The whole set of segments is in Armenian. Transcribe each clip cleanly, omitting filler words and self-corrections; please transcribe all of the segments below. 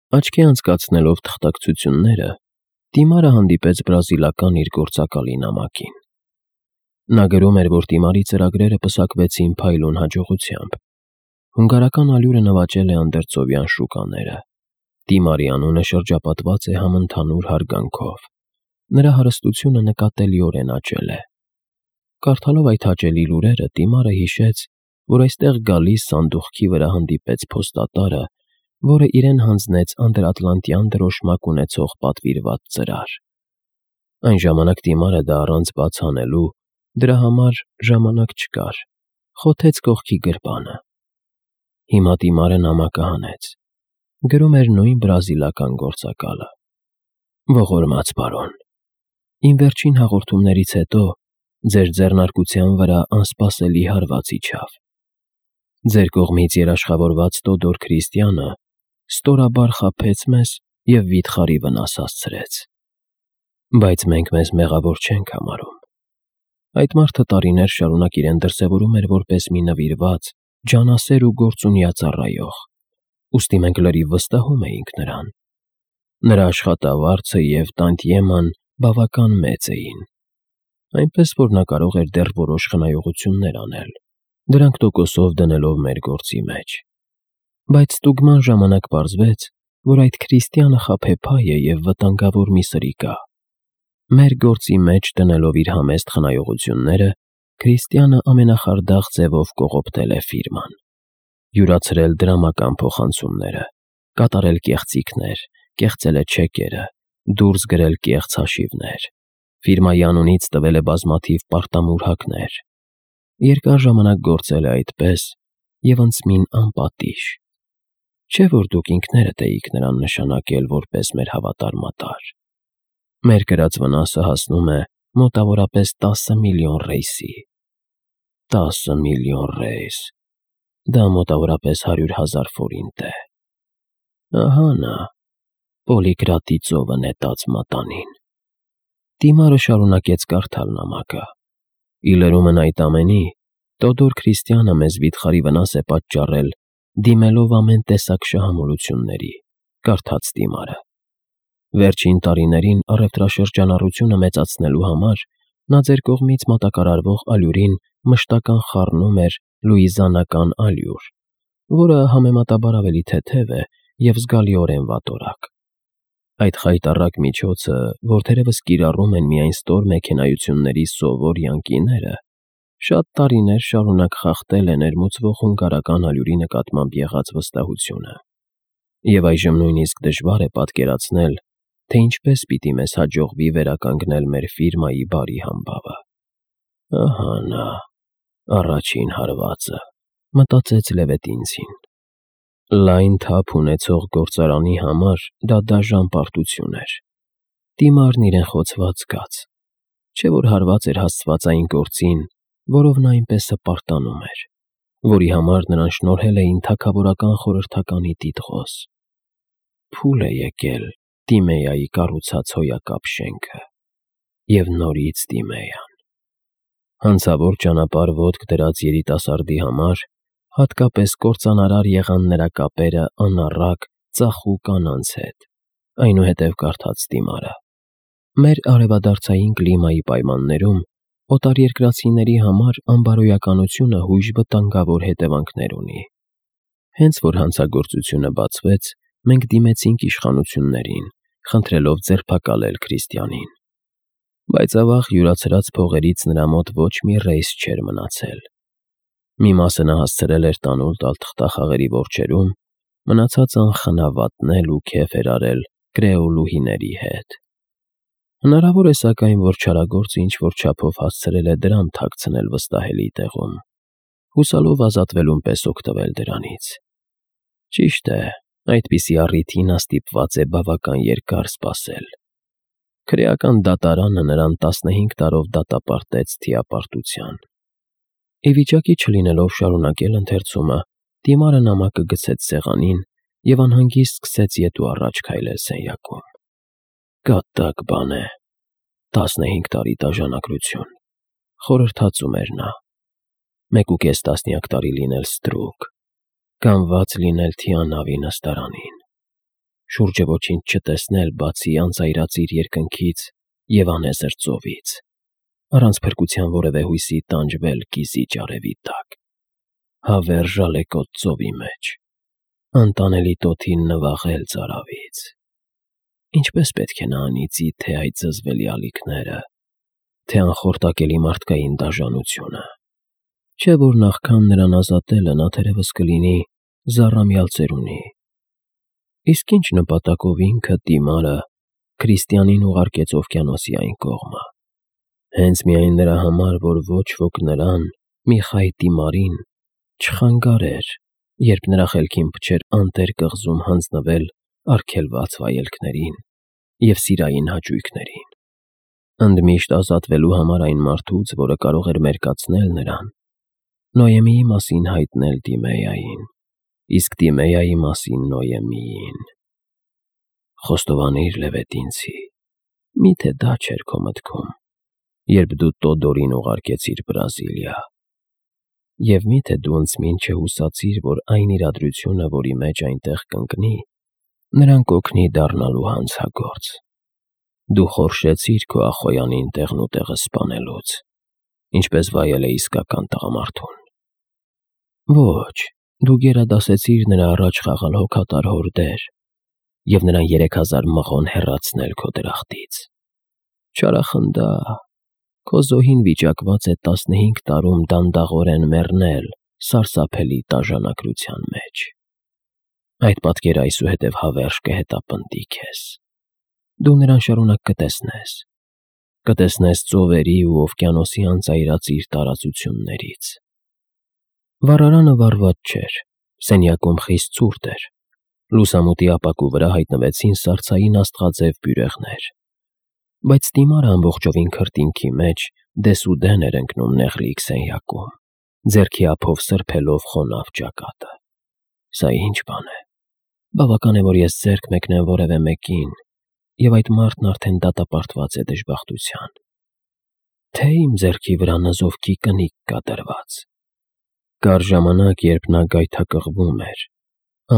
Աչքի անցկացնելով թղթակցությունները, Տիմարը հանդիպեց բրազիլական իր գործակալի նամակին։ Նա գրում էր, որ Տիմարի ծրագրերը պսակվեցին փայլուն հաջողությամբ։ Հունգարական ալյուրը նվաճել է անդերձովյան շուկաները։ Տիմարի անունը շրջապատված է համընդհանուր հարգանքով։ Նրա հարստությունը նկատելիորեն աճել է։ Կարդալով այդ հաճելի լուրերը, Տիմարը հիշեց, որ այստեղ գալիս սանդուղքի վրա հանդիպեց փոստատարը, որը իրեն հանձնեց անդրատլանտյան դրոշմակ ունեցող պատվիրված ծրար։ Այն ժամանակ Տիմարը դա առանց բաց անելու, դրա համար ժամանակ չկար, խոթեց կողքի գրպանը։ Հիմա Տիմարը նամակը հանեց։ Գրում էր նույն բրազիլական գործակալը. Ողորմած պարոն, իմ վերջին հաղորդումներից հետո ձեր ձեռնարկության վրա անսպասելի հարված իջավ։ Ձեր կողմից երաշխավորված Տոդոր Քրիստիանը ստորաբար խաբեց մեզ և վիթխարի վնաս հասցրեց։ Բայց մենք մեզ մեղավոր չենք համարում։ Այդ մարդը տարիներ շարունակ իրեն դրսևորում էր որպես մի նվիրված, ջանասեր ու գործունյա ծառայող, ուստի մենք լրիվ վստահում էինք նրան։ Նրա աշխատավարձը և տանտիեման բավական մեծ էին, այնպես որ նա կարող էր դեռ որոշ խնայողություններ անել, դրանք տոկոսով դնելով մեր գործի մեջ։ Բայց ստուգման ժամանակ պարզվեց, որ այդ Քրիստիանը խաբեբայ է և վտանգավոր մի սրիկա։ Մեր գործի մեջ դնելով իր համեստ խնայողությունները, Քրիստիանը ամենախարդախ ձևով կողոպտել է ֆիրման, յուրացրել դրամական փոխանցումները, կատարել կեղծիքներ, կեղծել է չեկերը, դուրս գրել կեղծ հաշիվներ, ֆիրմայի անունից տվել է բազմաթիվ պարտամուրհակներ։ Երկար ժամանակ գործել է այդպես և ընծմին անպատիժ։ Չէ՞ որ դուք ինքներդ էիք նրան նշանակել որպես մեր հավատարմատար։ Մեր կրած վնասը հասնում է մոտավորապես 10 միլիոն ռեյսի։ 10 միլիոն ռեյս, դա մոտավորապես 100,000 ֆորինտ է։ Ահա նա, Պոլիկրատի ծովը նետած մատանին։ Տիմարը շարունակեց կարդալ նամակը։ Ի լրումն այդ ամենի, Տոդոր Քրիստիանը մեզ վիթխարի վնաս է պատճառել, դիմելով ամեն տեսակ շահամոլությունների, կարդաց Տիմարը։ Վերջին տարիներին առևտրաշրջանառությունը մեծացնելու համար նա ձեր կողմից մատակարարվող ալյուրին մշտական խառնում էր լուիզիանական ալյուր, որը համեմատաբար ավելի թեթև է և զգալիորեն վատորակ։ Այդ խայտառակ միջոցը, որ թերևս կիրառում են միայն ստոր մեքենայությունների սովոր յանկիները, շատ տարիներ շարունակ խախտել է ներմուծվող հունգարական ալյուրի նկատմամբ եղած վստահությունը։ Եվ այժմ նույնիսկ դժվար է պատկերացնել, թե ինչպես պիտի մեզ հաջողվի վերականգնել մեր ֆիրմայի բարի համբավը։ Ահա նա, առաջին հարվածը, մտածեց Լևետինցին։ Լայն թափ ունեցող գործարանի համար դա դաժան պարտություն էր։ Տիմարն իրեն խոցված զգաց, չէ՞ որ հարված էր հասցված այն գործին, որով նա այնպես հպարտանում էր, որի համար նրան շնորհել էին թագավորական խորհրդականի տիտղոս։ Փուլ է եկել Տիմեայի կառուցած հոյակապ շենքը, և նորից Տիմեյան։ Հանցավոր ճանապարհ ոտք դրած երիտասարդի համար հատկապես կործանարար եղան նրա կապերը անառակ, ծախու կանանց հետ։ Այնուհետև կարդաց Տիմարը. մեր արևադարձային կլիմայի պայմաններում օտարերկրացիների համար անբարոյականությունը հույժ վտանգավոր հետևանքներ ունի։ Հենց որ հանցագործությունը բացվեց, մենք դիմեցինք իշխանություններին, խնդրելով ձերբակալել Քրիստիանին։ Բայց ավաղ յուրացրած փողերից նրա մոտ ոչ մի ռեյս չէր մնացել։ Մի մասը նա հասցրել էր տանուլ տալ թղթախաղերի որջերում, մնացածն խնավատնել ու քեֆ էր արել կրեոլուհիների հետ։ Հնարավոր է սակայն, որ չարագործը ինչ-որ չափով հասցրել է դրամ թաքցնել վստահելի տեղում, հուսալով ազատվելուն պես օգտվել դրանից։ Ճիշտ է, այդպիսի առիթի նա ստիպված է բավական երկար սպասել։ Քրեական դատարանը նրան 15 տարով դատապարտեց թիապարտության։ Ի վիճակի չլինելով շարունակել ընթերցումը, Տիմարը նամակը գցեց սեղանին և անհանգիստ սկսեց ետ ու առաջ քայլել սենյակում։ Կատակ բան է, 15 տարի դաժանակություն, խորհրդածում էր նա, 1.5 տասնյակ տարի լինել ստրուկ, կանված լինել Թիանավի նստարանին։ շուրջը ոչինչ չտեսնել, բացի անծայրածիր երկնքից և անեզր ծովից, առանց փրկության որևէ հույսի տանջվել կիզիչ արևի տակ, հավերժ ալեկոծ ծովի մեջ, անտանելի տոթին նվաղել ծարավից։ Ինչպես պետք է նա անի ծի թե այդ զզվելի ալիքները, թե անխորտակելի մարդկային դաժանությունը, չէ՞ որ նախքան նրան ազատելը նա թերևս կլինի զառամյալ ծերունի։ Իսկ ինչ նպատակով ինքը, Տիմարը, քրիստիանին ուղարկեց օվկիանոսի այն կողմը։ Հենց միայն նրա համար, որ ոչ ոք նրան, Միխայ Տիմարին, չխանգարեր, երբ նրա խելքին փչեր անտեր կղզում հանձնվել արգելված վայելքներին և սիրային հաճույքներին, ընդմիշտ ազատվելու համար այն մարդուց, որը կարող էր մերկացնել նրան, Նոյեմիի մասին հայտնել Տիմեյային, իսկ Տիմեյայի մասին Նոյեմիին։ Խոստովանիր Լևետինցի, միթե դա չէր քո մտքում, երբ դու Տոդորին ուղարկեցիր Բրազիլիա, և միթե դու ինձ չհուսացիր, որ այն իրադրությունը, որի մեջ այնտեղ կընկնի, նրան կօգնի դառնալու հանցագործ։ Դու խորշեցիր քո ախոյանին տեղնուտեղը սպանելուց, ինչպես վայել է իսկական տղամարդուն։ Ոչ, դու գերադասեցիր նրա առաջ խաղալ հոգատար հորդեր և նրան 3000 մղոն հեռացնել քո դրախտից։ Չարախնդա, քո զոհին վիճակված է 15 տարում դանդաղորեն մեռնել սարսափելի տաժանակրության մեջ։ Այդ պատկերը այսուհետև հավերժ կհետապնդի քեզ։ Դու նրան շարունակ կտեսնես։ Կտեսնես ծովերի ու օվկիանոսի անծայրածիր տարածություններից։ Վառարանը վառված չէր, սենյակում խիստ ցուրտ էր։ Լուսամուտի ապակու վրա հայտնվեցին սառցային աստղաձև բյուրեղներ։ Բայց Տիմարը ամբողջովին քրտինքի մեջ դեսուդեն էր ընկնում նեղլիկ սենյակում, ձեռքի ափով սրբելով խոնավ ճակատը։ Սա ինչ բան է։ Բավական է, որ ես ձեռք մեկնեմ որևէ մեկին, և այդ մարդն արդեն դատապարտված է դժբախտության։ Թե իմ ձեռքի վրա նզովքի կնիկ կա դրված։ Կար ժամանակ, երբ նա գայթակղվում էր,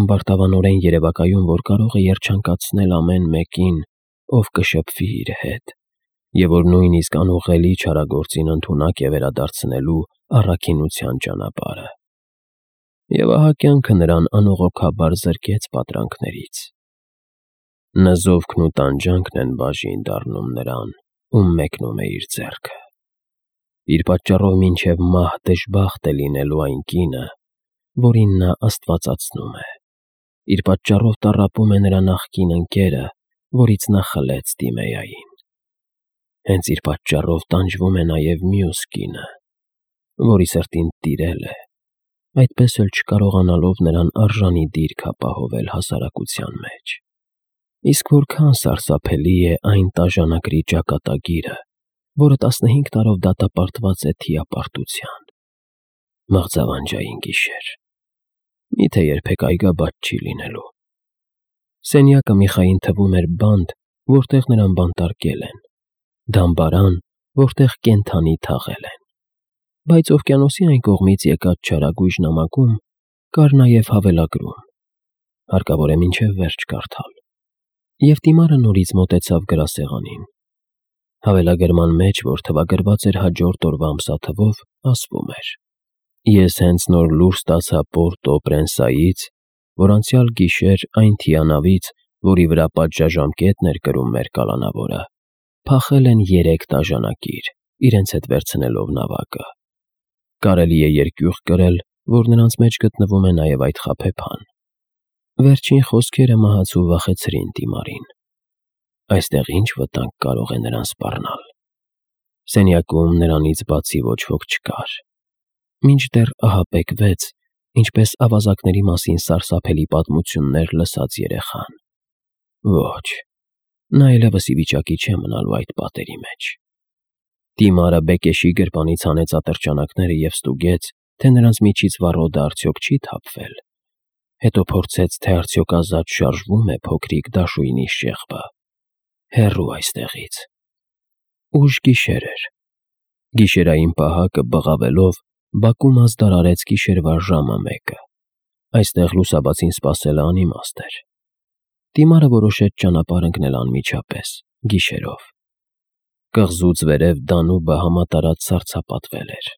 ամբարտավանորեն երևակայում, որ կարող է երջանկացնել ամեն մեկին, ով կշփվի իր հետ, և որ նույնիսկ անուղղելի չարագործին ընդունակ է վերադարձնելու առաքինության ճանապարհը։ Եվ ահա կյանքը նրան անողոքաբար զրկեց պատրանքներից։ Նզովքն ու տանջանքն են բաժին դառնում նրան, ում մեկնում է իր ձեռքը։ Իր պատճառով մինչև մահ դժբախտ է լինելու այն կինը, որին նա աստվածացնում է։ Իր պատճառով տառապում է նրա նախկին ընկերը, որից նա խլեց Տիմեյային։ Հենց իր պատճառով տանջվում է նաև մյուս կինը, որի սրտին տիրել է, այդպես էլ չկարողանալով նրան արժանի դիրք ապահովել հասարակության մեջ։ Իսկ որքան սարսափելի է այն տաժանակրի ճակատագիրը, որը 15 տարով դատապարտված է թիապարտության։ Մղձավանջային գիշեր։ Միթե երբեք այգաբաց չի լինելու։ Սենյակը Միխային թվում էր բանտ, որտեղ նրան բանտարկել են, դամբարան, որտեղ կենդանի թաղել են։ Բայց օվկիանոսի այն կողմից եկած չարագույժ նամակում կար նաև հավելագրում։ Հարկավոր է մինչև վերջ կարդալ։ Եվ Տիմարը նորից մոտեցավ գրասեղանին։ Հավելագրման մեջ, որ թվագրված էր հաջորդ օրվա ամսաթվով, ասվում էր. Ես հենց նոր լուր ստացա Պորտո Պրենսայից, որ անցյալ գիշեր այն թիանավից, որի վրա պատժաժամկետն էր կրում մեր կալանավորը, փախել են 3 տաժանակիր, իրենց հետ վերցնելով նավակը։ Կարելի է երկյուղ կրել, որ նրանց մեջ գտնվում է նաև այդ խաբեբան։ Վերջին խոսքերը մահացու վախեցրին Տիմարին։ Այստեղ ինչ վտանգ կարող է նրան սպառնալ։ Սենյակում նրանից բացի ոչ ոք չկար։ Մինչդեռ ահապեկվեց, ինչպես ավազակների մասին սարսափելի պատմություններ լսած երեխան։ Ոչ, նա այլևս ի վիճակի չէ մնալու այդ պատերի մեջ։ Տիմարը Բեկեշի գրպանից հանեց ատրճանակները և ստուգեց, թե նրանց միջից վառոդը արդյոք չի թափվել։ Հետո փորձեց, թե արդյոք ազատ շարժվում է փոքրիկ դաշույնի շեղբը։ Հեռու այստեղից։ Ուշ գիշեր էր։ Գիշերային պահակը բղավելով բակում ազդար արեց գիշերվա ժամը 1-ը։ Այստեղ լուսաբացին սպասելը անիմաստ էր։ Դիմարը որոշեց ճանապարհ ընկնել անմիջապես, գիշերով։ Կղզուց վերև Դանուբը համատարած սառցապատվել էր։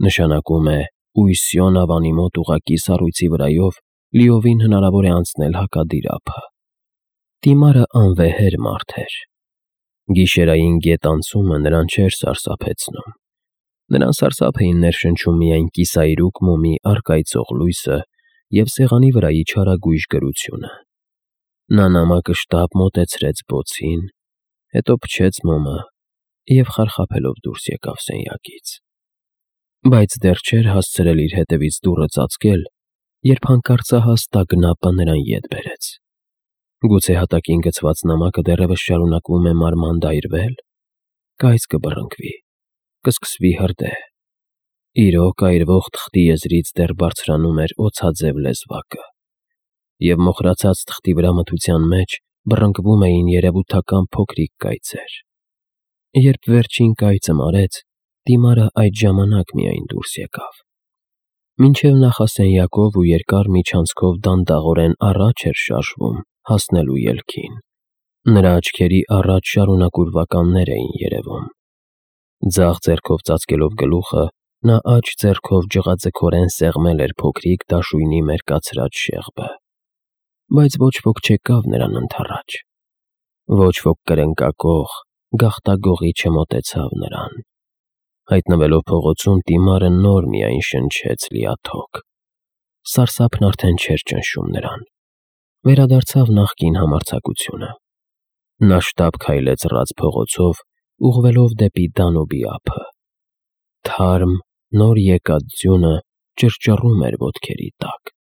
Նշանակում է Ուիսյոն ավանի մոտ ուղղակի սառույցի վրայով լիովին հնարավոր է անցնել հակադիր ափը։ Դիմարը անվեհեր մարդ էր։ Գիշերային գետանցումը նրան չէր սարսափեցնում։ Նրան սարսափ էին ներշնչում միայն կիսայրուկ մոմի առկայծող լույսը և սեղանի վրայի չարագույժ գրությունը։ Նա նամակը շտապ մոտեցրեց բոցին, հետո փչեց մոմը և խարխափելով դուրս եկավ սենյակից։ Բայց դեռ չէր հասցրել իր հետևից դուռը ծածկել, երբ հանկարծահաս տագնապը նրան ետ բերեց։ Գուցե հատակին գցված նամակը դեռևս շարունակվում է մանրամանդայրվել, կայծ կբռնկվի, կսկսվի հրդեհ։ Իրոք այրվող թղթի եզրից դեռ բարձրանում էր օձաձև լեզվակը, և մոխրացած թղթի վրա մթության մեջ բռնկվում էին երևութական փոքրիկ կայծեր։ Երբ վերջին կայծը մարեց, Դիմարը այդ ժամանակ միայն դուրս եկավ։ Մինչև նախասենյակով ու երկար միջանցքով դանդաղորեն առաջ էր շարժվում հասնելու ելքին։ Նրա աչքերի առաջ շարունակուրվականներ էին երևում։ Ձախ ձեռքով ծածկելով գլուխը, նա աջ ձեռքով ջղաձգորեն սեղմել էր փոքրիկ դաշույնի մերկացրած շեղբը։ Բայց ոչ ոք չեկավ նրան ընդառաջ։ Ոչ ոք կրնկակող, գաղտագողի չմոտեցավ նրան։ Հայտնվելով փողոցում, Դիմարը նոր միայն շնչեց լիաթոք։ Սարսափն արդեն չէր ճնշում նրան։ Վերադարձավ նախկին համարձակությունը։ Նա շտապ քայլեց ռաց փողոցով, ուղղվելով դեպի Դանուբի ափը։ Թարմ, նոր եկած ձյունը ճռճռում էր ոտքերի տակ։